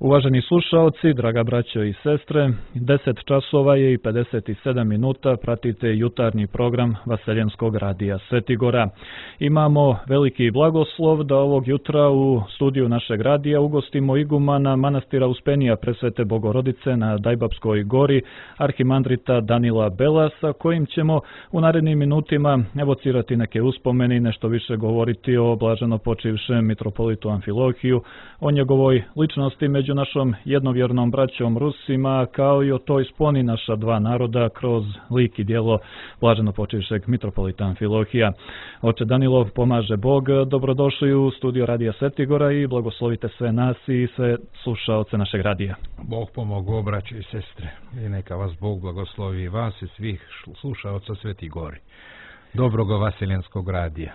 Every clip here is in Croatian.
Uvaženi slušaoci, draga braćo i sestre, 10 časova je i 57 minuta, pratite jutarnji program Vaseljenskog radija Svetigora. Imamo veliki blagoslov da ovog jutra u studiju našeg radija ugostimo igumana manastira Uspenija Presvete Bogorodice na Dajbapskoj gori, arhimandrita Danila Belasa, kojim ćemo u narednim minutima evocirati neke uspomeni, nešto više govoriti o blaženo počivšem mitropolitu Amfilohiju, o njegovoj ličnosti među našom jednovjernom braćom Rusima, kao i o toj sponi naša dva naroda kroz lik i djelo blaženo počivšeg mitropolita Amfilohija. Oče Danilo, pomaže Bog, dobrodošli u studio Radija Svetigora i blagoslovite sve nas i sve slušaoce našeg radija. Bog pomogao, braće i sestre, i neka vas Bog blagoslovi vas i svih slušaoca Svetigori. Dobroga Vaseljenskog radija.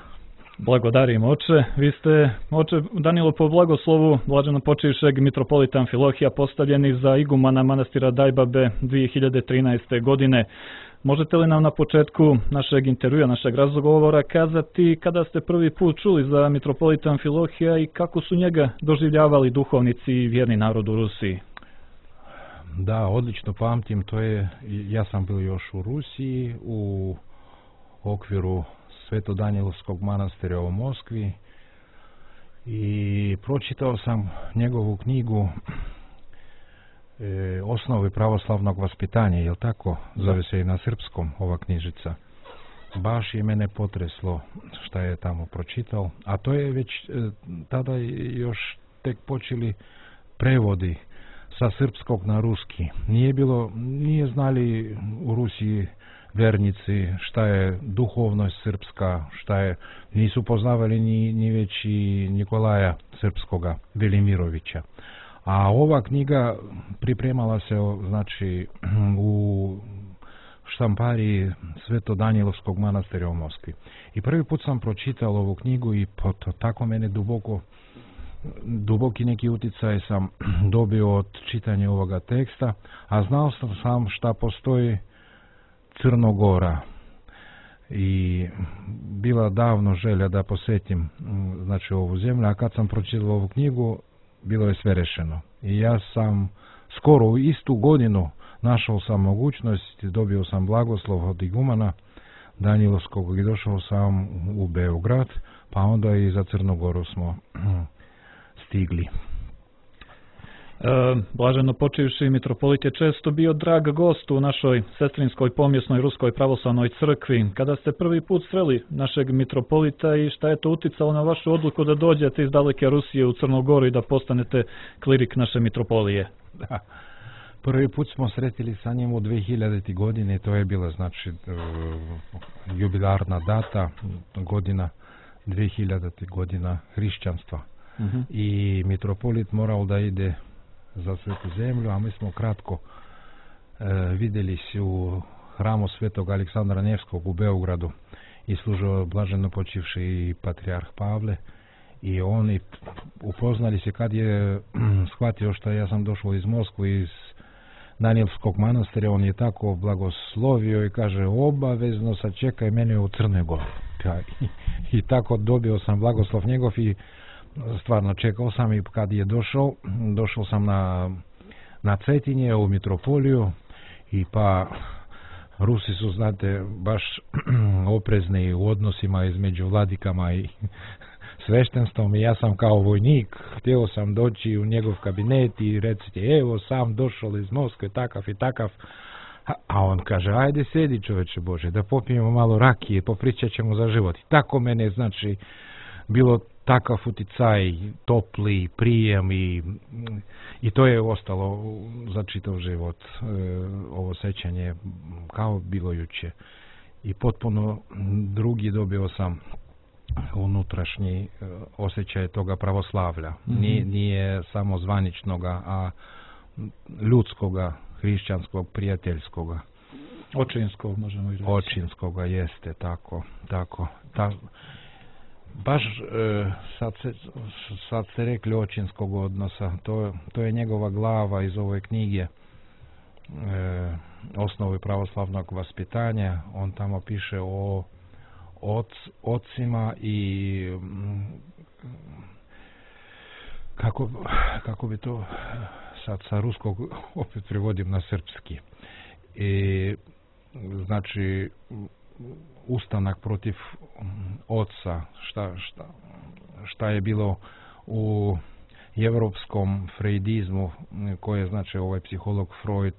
Blagodarim, oče. Vi ste, oče Danilo, po blagoslovu blaženo počivšeg mitropolita Amfilohija postavljeni za igumana manastira Dajbabe 2013. godine. Možete li nam na početku našeg intervjua, našeg razgovora kazati kada ste prvi put čuli za mitropolita Amfilohija i kako su njega doživljavali duhovnici i vjerni narod u Rusiji? Da, odlično pamtim, ja sam bio još u Rusiji u okviru Svetodanilovskog manastira u Moskvi i pročitao sam njegovu knjigu Osnovi pravoslavnog vaspitanja, jel tako? Zove se i na srpskom ova knjižica. Baš je mene potreslo šta je tamo pročitao, a to je već tada još tek počeli prevodi sa srpskog na ruski. Nije znali u Rusiji vernici šta je duhovnost srpska, nisu poznavali ni već i Nikolaja Srpskoga, Velimirovića. A ova knjiga pripremala se znači u štampariji Svetodanilovskog manastira u Moskvi. I prvi put sam pročitao ovu knjigu i tako mene duboki neki utjecaj sam dobio od čitanja ovoga teksta, a znao sam šta postoji Crnogora i bila davno želja da posjetim znači ovu zemlju, a kad sam pročitao ovu knjigu bilo je sve rešeno. I ja sam skoro u istu godinu našao sam mogućnost, dobio sam blagoslov od igumana Danilovskog i došao sam u Beograd, pa onda i za Crnogoru smo stigli. Blaženo počivši mitropolit je često bio drag gost u našoj sestrinskoj pomjesnoj Ruskoj pravoslavnoj crkvi. Kada ste prvi put sreli našeg mitropolita i šta je to uticalo na vašu odluku da dođete iz daleke Rusije u Crnogoru i da postanete klirik naše mitropolije? Da. Prvi put smo sretili sa njim u 2000. godine, to je bila znači jubilarna data, godina 2000. godina hrišćanstva. I mitropolit morao da ide za svetu zemlju, a mi smo kratko vidjeli se u hramu svetog Aleksandra Nevskog u Beogradu i služio blaženo počivši i patrijarh Pavle i oni upoznali se kad je shvatio što ja sam došao iz Moskve, iz Danielskog manastira, on je tako blagoslovio i kaže obavezno sad čekaj mene u Crnoj Gori. I tako dobio sam blagoslov njegov i stvarno čekao sam i kad je došao sam na Cetinje u mitropoliju i pa Rusi su, znate, baš oprezni u odnosima između vladikama i sveštenstvom i ja sam kao vojnik htio sam doći u njegov kabinet i reciti evo sam došao iz Moskve takav i takav, a on kaže ajde sedi čoveče Bože da popijemo malo rakije, popričat ćemo za život. I tako mene znači bilo takav uticaj, topli prijem i to je ostalo za čitav život, ovo sećanje kao bilo juče. I potpuno drugi dobio sam unutrašnji osjećaj toga pravoslavlja. Nije samo zvaničnoga, a ljudskoga, hrišćanskog, prijateljskoga. Očinskog, možemo i reći. Očinskoga, jeste, tako. Baš sad ste rekli očinskog odnosa, to je njegova glava iz ove knjige Osnovi pravoslavnog vaspitanja. On tamo piše o ocima i kako bi to sad sa ruskog opet prevodim na srpski. I znači ustanak protiv oca, šta je bilo u evropskom freudizmu, koje znači ovaj psiholog Freud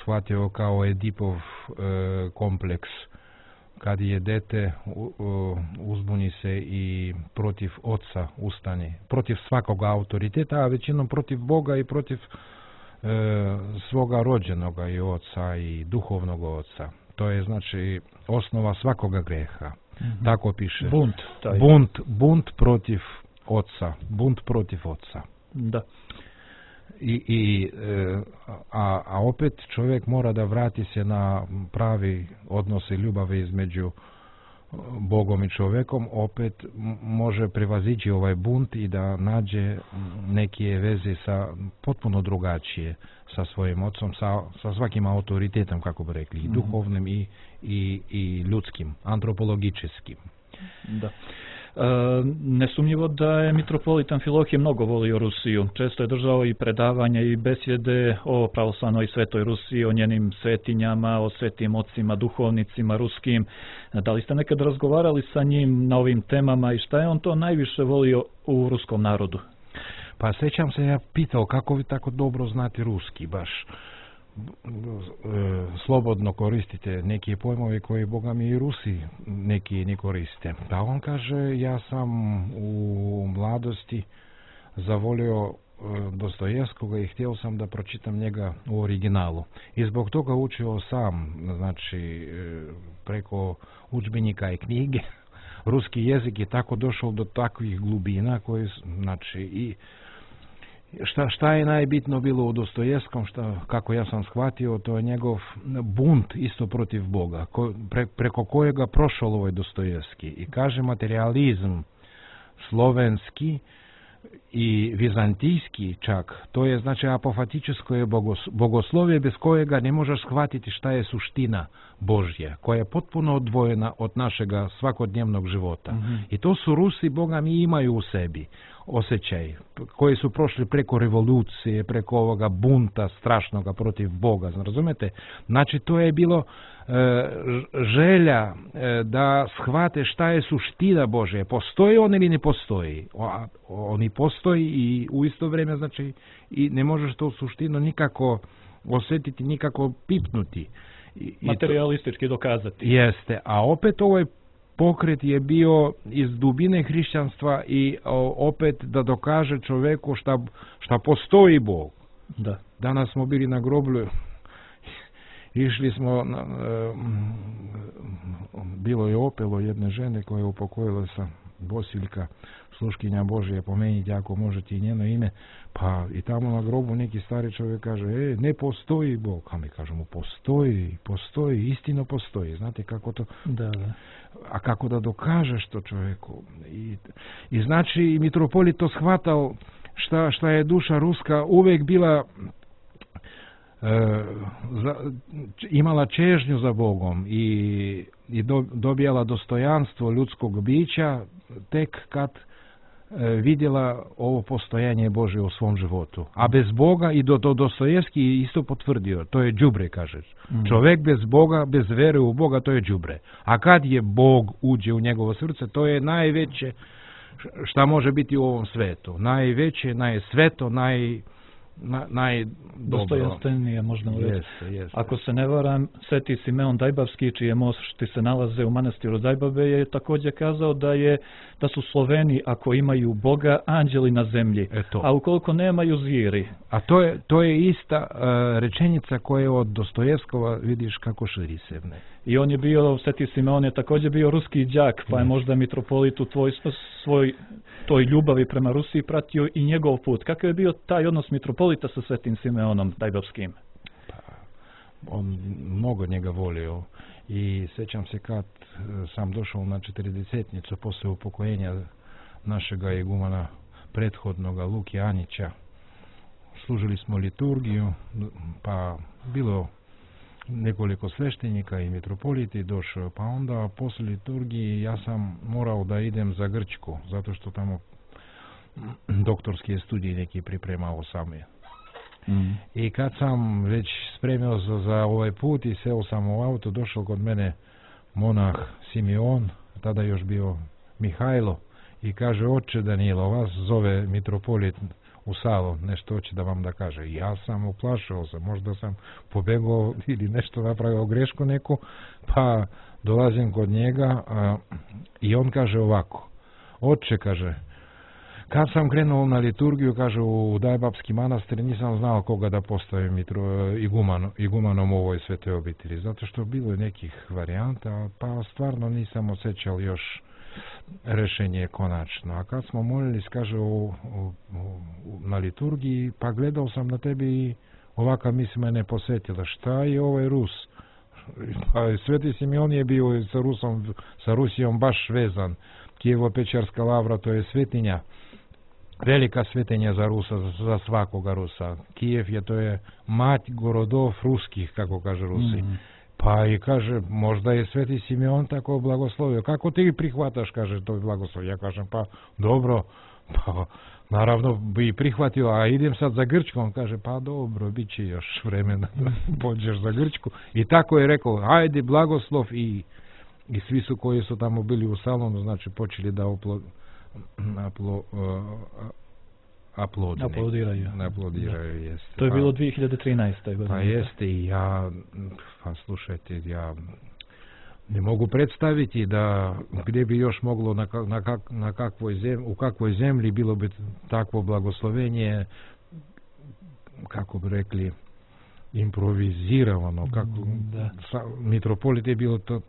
shvatio kao Edipov kompleks, kad je dete uzbuni se i protiv oca ustane, protiv svakog autoriteta, a većinom protiv Boga i protiv svoga rođenoga i oca i duhovnog oca. To je znači osnova svakoga greha. Tako piše. Bunt protiv oca. Bunt protiv oca. Da. A opet čovjek mora da vrati se na pravi odnose ljubavi između Bogom i čovjekom, opet može prevazići ovaj bunt i da nađe neke veze sa potpuno drugačije sa svojim ocom, sa svakim autoritetom, kako bi rekli, i duhovnim i ljudskim, antropologičkim. Da. Nesumnjivo da je mitropolit Amfilohije mnogo volio Rusiju. Često je držao i predavanja i besjede o pravoslavnoj i svetoj Rusiji, o njenim svetinjama, o svetim ocima, duhovnicima ruskim. Da li ste nekad razgovarali sa njim na ovim temama i šta je on to najviše volio u ruskom narodu? Pa sjećam se, ja pitao kako vi tako dobro znate ruski, baš slobodno koristite neke pojmove koje Boga mi i Rusi neki ne koriste. Pa on kaže, ja sam u mladosti zavolio Dostojevskoga i htio sam da pročitam njega u originalu. I zbog toga učio sam, znači preko udžbenika i knjige, ruski jezik je tako došao do takvih glubina koje, znači, i šta je najbitno bilo u Dostojevskom, kako ja sam shvatio, to je njegov bunt isto protiv Boga, preko kojega prošao ovaj Dostojevski. I kaže, materializam slovenski i vizantijski čak, to je znači apofatičesko je bogoslovje bez kojega ne možeš shvatiti šta je suština Božja, koja je potpuno odvojena od našega svakodnevnog života. I to su Rusi, Boga mi, imaju u sebi osjećaj, koji su prošli preko revolucije, preko ovoga bunta strašnoga protiv Boga, razumete? Znači to je bilo želja da shvate šta je suština Božja. Postoji on ili ne postoji? Oni postoji i u isto vrijeme, znači, i ne možeš to suštinu nikako osjetiti, nikako pipnuti. Materialistički dokazati. Jeste, a opet ovaj pokret je bio iz dubine hrišćanstva i opet da dokaže čovjeku šta postoji Bog. Da. Danas smo bili na groblju, išli smo, bilo je opelo jedne žene koja je upokojila sa Bosiljka, sluškinja Božja, pomenite ako možete i njeno ime, pa i tamo na grobu neki stari čovjek kaže, ne postoji Bog, a mi kažemo postoji, istino postoji, znate kako to, da. A kako da dokažeš to čovjeku, i znači mitropolit to shvatao šta je duša ruska uvijek bila, imala čežnju za Bogom i dobijala dostojanstvo ljudskog bića tek kad vidjela ovo postojanje Božje u svom životu. A bez Boga, i Dostojevski isto potvrdio, to je đubre, kaže. Čovjek bez Boga, bez vere u Boga, to je đubre. A kad je Bog uđe u njegovo srce, to je najveće šta može biti u ovom svetu. Najveće, najsveto, dostojanstvenije, možda reći. Jeste. Ako se ne varam, Sveti Simeon Dajbavski, čije mošti se nalaze u manastiru Dajbabe, je također kazao da su Sloveni, ako imaju Boga, anđeli na zemlji, a ukoliko nemaju, zvijeri. A to je ista rečenica koja je od Dostojevskova, vidiš kako širi se. I on je bio, Sveti Simeon je također bio ruski đak, pa je možda mitropolit u toj ljubavi prema Rusiji pratio i njegov put. Kakav je bio taj odnos mitropolita sa Svetim Simeonom Dajbavskim? Pa, on mnogo njega volio i sjećam se kad sam došao na 40-nicu posle upokojenja našega igumana prethodnoga Luki Anića. Služili smo liturgiju, pa bilo nekoliko sveštenika i mitropoliti došao, pa onda posle liturgiji ja sam morao da idem za Grčku, zato što tamo doktorske studije neki pripremao sam je. I kad sam već spremio za ovaj put i seo sam u auto, došao kod mene monah Simeon, tada još bio Mihajlo, i kaže: oče Danilo, vas zove mitropolit u salon, nešto hoće da vam da kaže. Ja sam uplašao se, možda sam pobegao ili nešto napravio grešku neku, pa dolazim kod njega i on kaže ovako: oče, kaže, kad sam krenuo na liturgiju, kaže, u Dajbapski manastir, nisam znao koga da postavim igumanom u ovoj svetoj obitelji, zato što bilo je nekih varijanta, pa stvarno nisam osjećao još rešenje konačno. A kad smo molili, kaže, na liturgiji, pa gledao sam na tebi i ovaka misl mene posjetila. Šta je ovaj Rus? Pa Sveti Simeon je bio sa Rusijom baš vezan. Kijevo-Pečarska lavra, to je svetinja, velika svetinja za Rusa, za svakoga Rusa. Kijev je, to je mać gorodov ruskih, kako kaže Rusi. Pa i kaže, možda je Sveti Simeon tako blagoslovio. Kako ti prihvataš, kaže, to blagoslov? Ja kažem, pa dobro, pa naravno bi prihvatio, a idem sad za Grčkom. Kaže, pa dobro, bit će još vremena da pođeš za Grčku. I tako je rekao, ajde blagoslov, i svi su koji su tamo bili u salonu, znači počeli da aplodiraju, jeste. To je bilo 2013. godine. Pa jeste, i ja, pa slušajte, ja ne mogu predstaviti da gdje bi još moglo, u kakvoj zemlji bilo bi takvo blagoslovenje, kako bi rekli, improvizirano, mitropolit je bilo to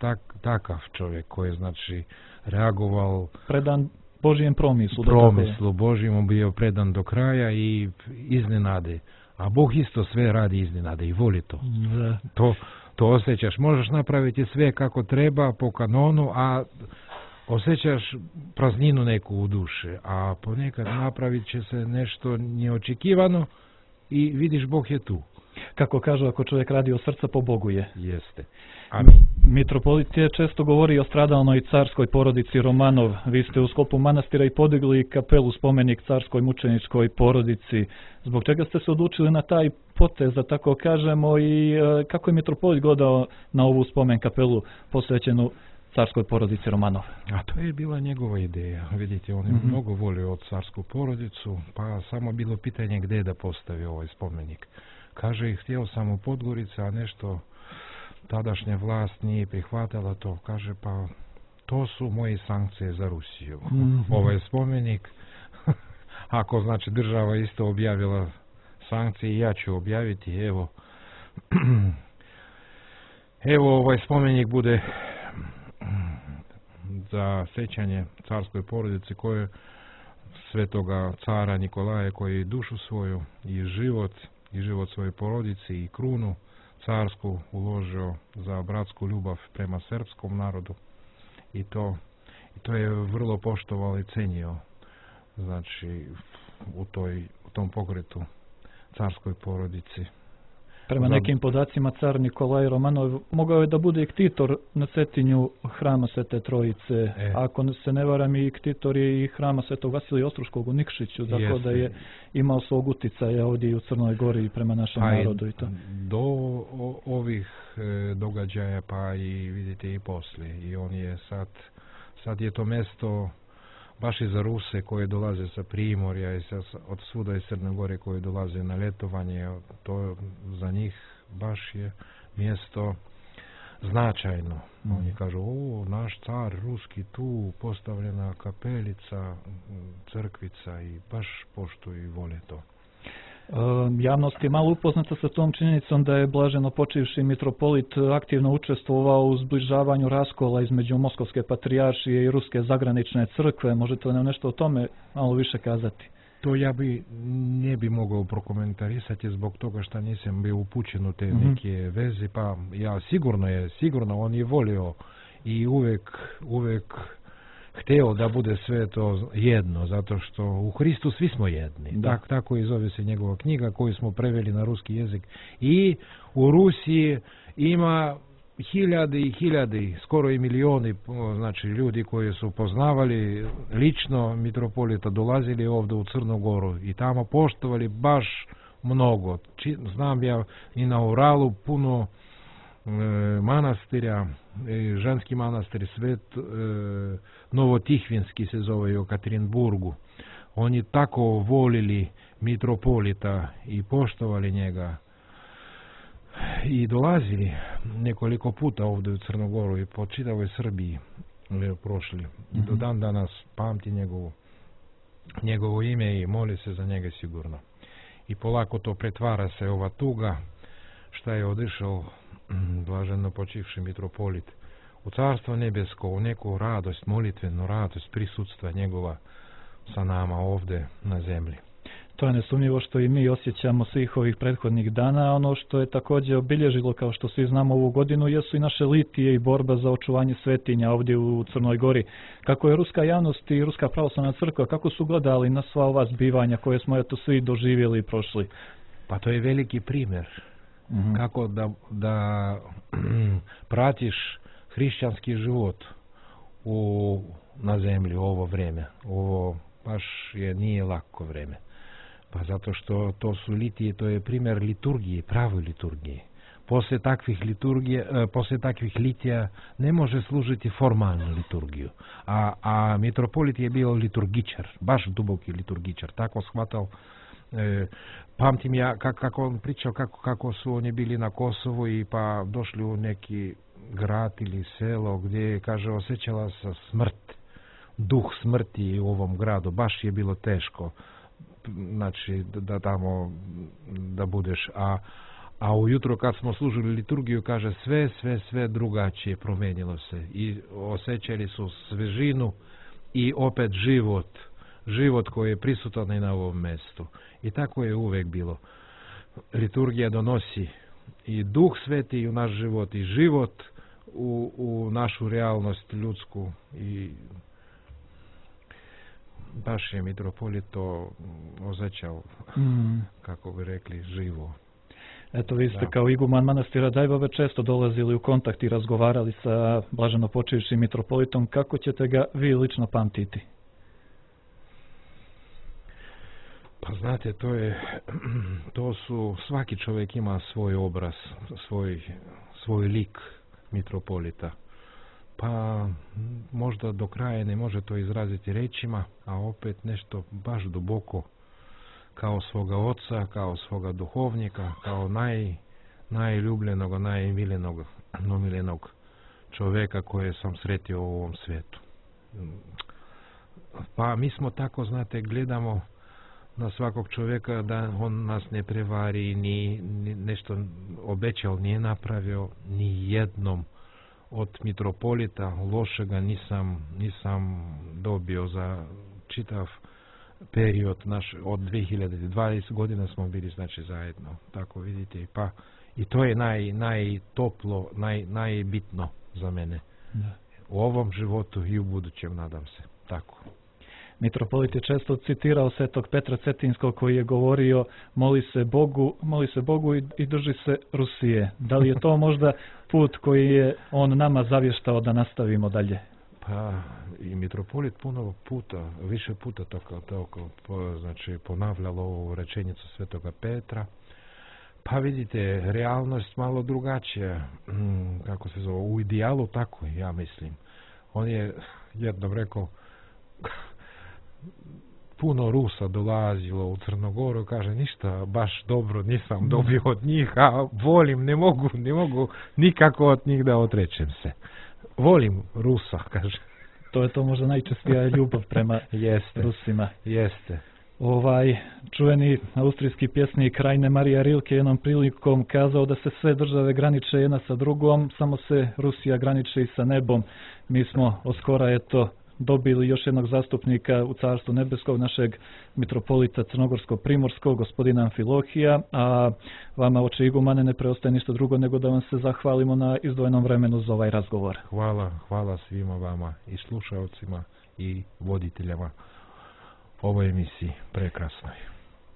takav čovjek koji je, znači, reagoval predan Božijem promislu. Promislu Božijem bio predan do kraja i iznenade. A Bog isto sve radi iznenade i voli to. To osjećaš. Možeš napraviti sve kako treba po kanonu, a osjećaš prazninu neku u duši. A ponekad napravit će se nešto neočekivano i vidiš Bog je tu. Kako kažu, ako čovjek radi od srca, po Bogu je. Jeste. Amin. Mitropolit je često govori o stradalnoj carskoj porodici Romanov. Vi ste u sklopu manastira i podigli kapelu spomenik carskoj mučeničkoj porodici. Zbog čega ste se odlučili na taj potez, da tako kažemo, i kako je mitropolit gledao na ovu spomen kapelu posvećenu carskoj porodici Romanov? A to je bila njegova ideja. Vidite, on je mnogo volio od carsku porodicu, pa samo bilo pitanje gdje da postavi ovaj spomenik. Kaže, htio sam u Podgorici, a nešto tadašnja vlast nije prihvatila to. Kaže, pa to su moje sankcije za Rusiju. Ovaj spomenik, ako znači država isto objavila sankcije, ja ću objaviti, evo ovaj spomenik bude za sećanje carskoj porodici koje svetoga cara Nikolaja, koji dušu svoju i život svoje porodici i krunu carsku uložio za bratsku ljubav prema srpskom narodu, i to je vrlo poštovao i cenio, znači u tom pokretu carskoj porodici. Prema nekim podacima, car Nikolaj Romanov mogao je da bude i ktitor na Cetinju hrama Svete Trojice. Ako se ne varam, i ktitor je i hrama Svetog Vasilija Ostruškog u Nikšiću, tako da je imao svog uticaja ovdje i u Crnoj Gori prema našem narodu. I to. Do ovih događaja, pa i vidite i poslije. I on je sad je to mesto baš i za Ruse koje dolaze sa Primorja i od svuda iz Crne Gore koje dolaze na ljetovanje, to za njih baš je mjesto značajno. Oni kažu, naš car ruski tu, postavljena kapelica, crkvica, i baš poštuju i vole to. Javnost je malo upoznata sa tom činjenicom da je blaženo počivši mitropolit aktivno učestvovao u zbližavanju raskola između Moskovske patrijaršije i Ruske zagranične crkve. Možete li nam nešto o tome malo više kazati? To ja ne bi mogao prokomentarisati zbog toga što nisam bio upućen u te neke veze, pa ja sigurno on je volio i uvek hteo da bude sve to jedno, zato što u Hristu svi smo jedni. Tako i zove se njegova knjiga koju smo preveli na ruski jezik. I u Rusiji ima hiljade i hiljade, skoro i milioni, znači ljudi koji su poznavali lično mitropolita, dolazili ovdje u Crnu Goru i tamo poštovali baš mnogo. Znam ja i na Uralu puno manastirja, ženski manastir Svet Novotihvinski se zove u Katerinburgu. Oni tako volili mitropolita i poštovali njega i dolazili nekoliko puta ovdje u Crnogoru i po čitavoj Srbiji prošli. I do dan danas pamti njegovo ime i moli se za njega sigurno. I polako to pretvara se ova tuga šta je odišao blaženo počivši mitropolit u Carstvo nebesko, u neku radost, molitvenu radost prisutstva njegova sa nama ovdje na zemlji. To je nesumnjivo što i mi osjećamo svih ovih prethodnih dana. Ono što je također obilježilo, kao što svi znamo, ovu godinu jesu i naše litije i borba za očuvanje svetinja ovdje u Crnoj Gori. Kako je ruska javnost i Ruska pravoslavna crkva, kako su gledali na sva ova zbivanja koje smo eto svi doživjeli i prošli? Pa to je veliki primjer. Kako da pratiš hrišćanski život na zemlji u ovo vrijeme. Ovo baš nije lako vrijeme. Pa zato što to su litije, to je primjer liturgije, pravoj liturgije. Poslije takvih litija ne može služiti formalnu liturgiju. A mitropolit je bio liturgičar, baš duboki liturgičar. Tako shvatao. Pamtim ja kako on pričao kako su oni bili na Kosovu i pa došli u neki grad ili selo gdje, kaže, osjećala se smrt, duh smrti u ovom gradu. Baš je bilo teško, znači da tamo da budeš. A ujutro kad smo služili liturgiju, kaže, sve drugačije promijenilo se i osjećali su svežinu i opet život koji je prisutan i na ovom mjestu. I tako je uvijek bilo. Liturgija donosi i Duh Sveti u naš život i život u našu realnost ljudsku i baš je mitropolit to osjećao, kako bi rekli, živo. Eto, vi ste kao iguman manastira Dajbove često dolazili u kontakt i razgovarali sa blaženo počivšim mitropolitom. Kako ćete ga vi lično pamtiti? Pa znate, to su, svaki čovjek ima svoj obraz, svoj lik mitropolita. Pa možda do kraja ne može to izraziti rečima, a opet nešto baš duboko, kao svoga oca, kao svoga duhovnika, kao najljubljenog, najmiljenog čovjeka koje sam sretio u ovom svijetu. Pa mi smo tako, znate, gledamo na svakog čovjeka da on nas ne prevari, ni nešto obećao, nije napravio, ni jednom od mitropolita lošega nisam dobio za čitav period naš, od 2020 godina smo bili, znači, zajedno, tako vidite, pa i to je najtoplo, najbitno za mene. Da. U ovom životu i u budućem, nadam se, tako. Mitropolit je često citirao svetog Petra Cetinskog koji je govorio moli se Bogu i drži se Rusije. Da li je to možda put koji je on nama zavještao da nastavimo dalje? Pa i mitropolit više puta znači ponavljalo ovu rečenicu svetoga Petra. Pa vidite, realnost malo drugačija, kako se zove, u idealu tako, ja mislim. On je jednom rekao, puno Rusa dolazilo u Crnogoru, kaže, ništa baš dobro nisam dobio od njih, a volim, ne mogu nikako od njih da odrečem se. Volim Rusa, kaže. To je to možda najčestija ljubav prema Rusima. Jeste. Čuveni austrijski pjesnik Rainer Maria Rilke jednom prilikom kazao da se sve države graniče jedna sa drugom, samo se Rusija graniči sa nebom. Mi smo oskora dobili još jednog zastupnika u Carstvu nebeskog, našeg mitropolita Crnogorsko-Primorskog, gospodina Amfilohija, a vama, oče igumane, ne preostaje ništa drugo nego da vam se zahvalimo na izdvojenom vremenu za ovaj razgovor. Hvala svima vama i slušalcima i voditeljama ovoj emisiji prekrasnoj.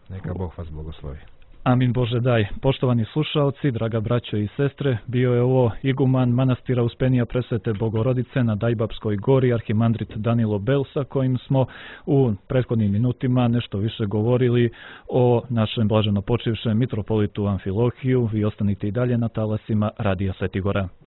Neka Bog vas blagoslovi. Amin Bože daj. Poštovani slušaoci, draga braćo i sestre, bio je ovo iguman manastira Uspenija Presvete Bogorodice na Dajbapskoj gori, arhimandrit Danilo Bel, sa kojim smo u prethodnim minutima nešto više govorili o našem blaženo počivšem mitropolitu Amfilohiju. Vi ostanite i dalje na talasima Radija Sveti Gora.